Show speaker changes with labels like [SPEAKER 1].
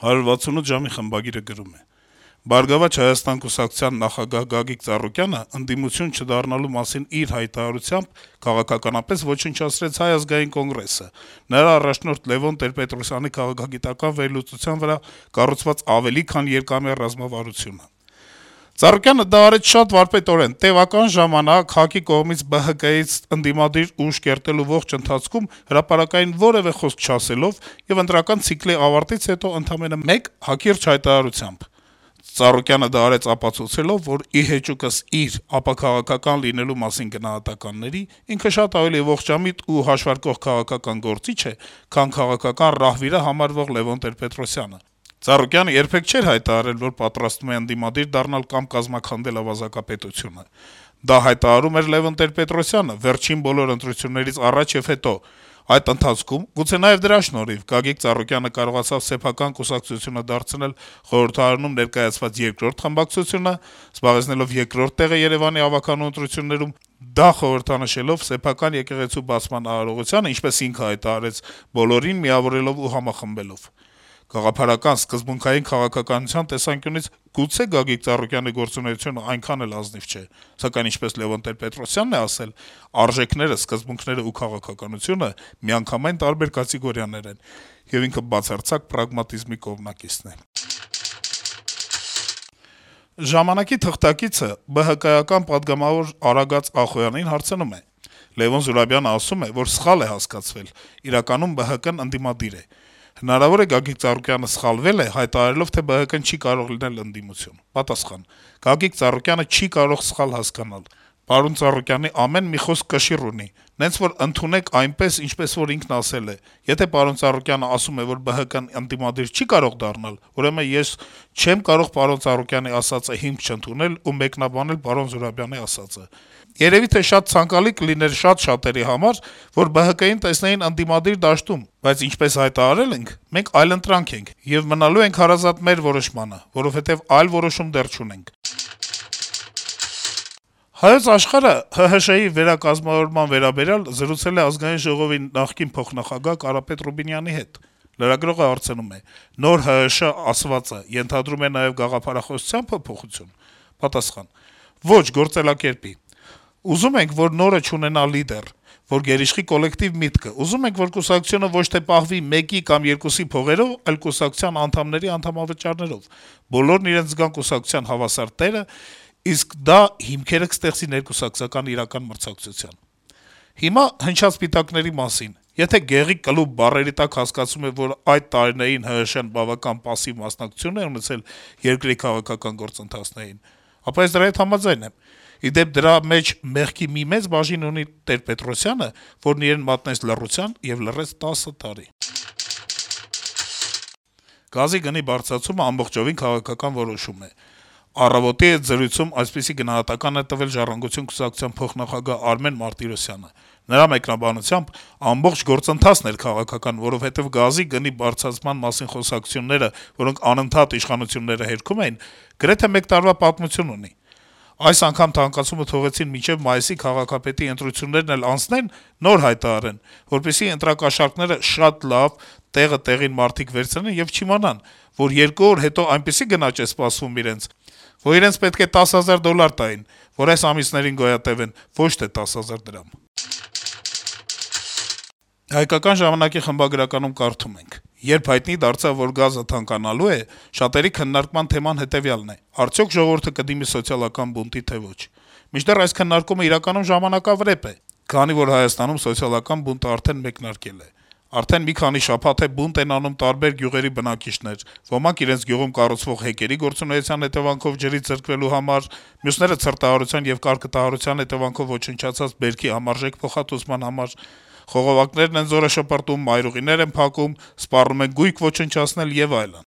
[SPEAKER 1] 168 ժամի խմբագիրը գրում է. - «Բարգավաճ Հայաստան կուսակցության նախագահ Գագիկ Ծառուկյանը ընդդիմություն չդառնալու մասին իր հայտարարությամբ քաղաքականապես ոչնչացրեց Հայ ազգային կոնգրեսը, նրա առաջնորդ Լեւոն Տեր-Պետրոսյանի քաղաքագիտական վերլուծության վրա կառուցված ավելի քան երկամյա ռազմավարությունը: Ծառուկյանը դա արեց շատ վարպետորեն, տեւական ժամանակ ՀԱԿ-ի կողմից ԲՀԿ-ից ընդդիմադիր ուժ կերտելու ողջ ընթացքում հրապարակային որեւէ խոսք չասելով եւ ընտրական ցիկլի ավարտից հետո ընդամենը մեկ հակիրճ հայտարարությամբ: Ծառուկյանը դա արեց ապացուցելով, որ ի հեճուկս իր ապաքաղաքական լինելու մասին գնահատականների ինքը շատ ավելի ողջամիտ ու հաշվարկող քաղաքական գործիչ է, քան քաղաքական ռահվիրը համարվող Լեւոն Տեր-Պետրոսյանը: Ծառուկյանը երբեք չէր հայտարարել, որ պատրաստվում է ընդդիմադիր դառնալ կամ կազմաքանդել ավազակապետությունը: Դա հայտարարում էր Լեւոն Տեր-Պետրոսյանը վերջին բոլոր ընտրություններից առաջ եւ հետո: Այդ ընթացքում, գուցե նաեւ դրա շնորհիվ, Գագիկ Ծառուկյանը կարողացավ սեփական կուսակցությունը դարձնել խորհրդարանում ներկայացված երկրորդ խմբակցությունը, զբաղեցնելով երկրորդ տեղը Երեւանի ավականու ընտրություններում, դա խորհրդանշելով սեփական եկեղեցու բացման արարողությանը, ինչպես ինքը հայտարարեց, բոլորին միավորելով ու համախմբելով: Գաղափարական, սկզբունքային քաղաքականության տեսանկյունից գուցե Գագիկ Ծառուկյանի գործունեությունը այնքան էլ ազնիվ չէ, սակայն, ինչպես Լեւոն Տեր-Պետրոսյանն է ասել, արժեքները, սկզբունքները ու քաղաքականությունը միանգամայն տարբեր կատեգորիաներ են, եւ ինքը բացարձակ պրագմատիզմի կողմնակիցն է»: «Ժամանակ»-ի թղթակիցը ԲՀԿ-ական պատգամավոր Արագած Ախոյանին հարցնում է. - «Լեւոն Զուրաբյանը ասում է, որ սխալ է հասկացվել, իրականում ԲՀԿ-ն ընդդիմադիր է: Հնարավո՞ր է Գագիկ Ծառուկյանը սխալվել է` հայտարարելով, թե ԲՀԿ-ն չի կարող լինել ընդդիմություն»: Պատասխան. - «Գագիկ Ծառուկյանը չի կարող սխալ հասկանալ: Պարոն Ծառուկյանի ամեն մի խոսք կշիռ ունի: Նենց որ ընդունեք այնպես, ինչպես որ ինքն ասել է: Եթե պարոն Ծառուկյանը ասում է, որ ԲՀԿ-ն ընդդիմադիր չի կարող դառնալ, ուրեմն ես չեմ կարող պարոն Ծառուկյանի ասածը հիմք չընդունել ու մեկնաբանել պարոն Զուրաբյանի ասածը: Երեւի թե շատ ցանկալի կլիներ շատ շատերի համար, որ ԲՀԿ-ին տեսնեին ընդդիմադիր դաշտում, բայց ինչպես հայտարարել ենք, մենք այլընտրանք ենք եւ մնալու ենք հարազատ մեր որոշմանը, որովհետեւ այլ որոշում դեռ չունենք»: «Հայոց Աշխարհ»-ը ՀՀՇ-ի վերակազմավորման վերաբերյալ զրուցել է Ազգային ժողովի նախկին փոխնախագահ Կարապետ Ռուբինյանի հետ: Լրագրողը հարցնում է. - «Նոր ՀՀՇ ասվածը ենթադրում է նաեւ գաղափարախոսության փոփոխություն»: Պատասխան. - «Ոչ, գործելակերպի: Ուզում ենք, որ նորը չունենա լիդեր, որ գերիշխի կոլեկտիվ միտքը: Ուզում ենք, որ կուսակցությունը ոչ թե պահվի մեկի կամ երկուսի փողերով, այլ կուսակցության անդամների անդամավճարներով: Բոլորն իրենց զգան կուսակցության հավասար տերը, իսկ դա հիմքերը կստեղծի ներկուսակցական իրական մրցակցության: Հիմա հնչած սպիտակների մասին: Եթե «գեղի կլուբ» բառերի տակ հասկացվում է, որ այդ տարիներին ՀՀՇ-ն բավական պասիվ մասնակցություն է ունեցել երկրի քաղաքական գործընթացներին, ապա ես դրա հետ համաձայն եմ: Ի դեպ, դրա մեջ մեղքի մի մեծ բաժին ունի Տեր-Պետրոսյանը, որն իրեն մատնեց լռության եւ լռեց 10 տարի»: Գազի գնի բարձրացումը ամբողջովին քաղաքական որոշում է: «Առավոտ»-ի հետ զրույցում այսպիսի գնահատական է տվել «Ժառանգություն» կուսակցության փոխնախագահ Արմեն Մարտիրոսյանը: Նրա մեկնաբանությամբ, ամբողջ գործընթացն էր քաղաքական, որովհետեւ գազի գնի բարձրացման մասին խոսակցությունները, որոնք անընդհատ իշխանությունները հերքում էին, գրեթե մեկ տարվա պատմություն ունի: Այս անգամ թանկացումը թողեցին մինչեւ մայիսի քաղաքապետի ընտրություններն էլ անցնեն, նոր հայտարարեն, որպեսզի ընտրակաշառքները շատ լավ, տեղը տեղին մարդիկ վերցնեն եւ չիմանան, որ 2 օր հետո այնպիսի գնաճ է սպասվում իրենց, որ իրենց պետք է $10,000 տային, որ այս ամիսներին գոյատևեն, ոչ թե 10,000 դրամ»: «Հայկական ժամանակ»-ի խմբագրականում կարդում ենք. - «Երբ հայտնի դարձավ, որ գազը թանկանալու է, շատերի քննարկման թեման հետեւյալն է. արդյոք ժողովուրդը կդիմի սոցիալական բունտի, թե ոչ: Մինչդեռ այս քննարկումը իրականում ժամանակավրեպ է, քանի որ Հայաստանում սոցիալական բունտը արդեն մեկնարկել է: Արդեն մի քանի շաբաթ է բունտ են անում տարբեր գյուղերի բնակիչներ, ոմանք իրենց գյուղում կառուցվող հեկերի գործունեության հետեւանքով ջրից զրկվելու համար, մյուսները ցրտահարության եւ կարկտահարության հետեւանքով ոչնչացած բերքի համարժեք փոխհատուցման համար: Խողովակներն են զորը շպրտում, մայրուղիներ են փակում, սպառնում են գույք ոչնչացնել եւ այլն: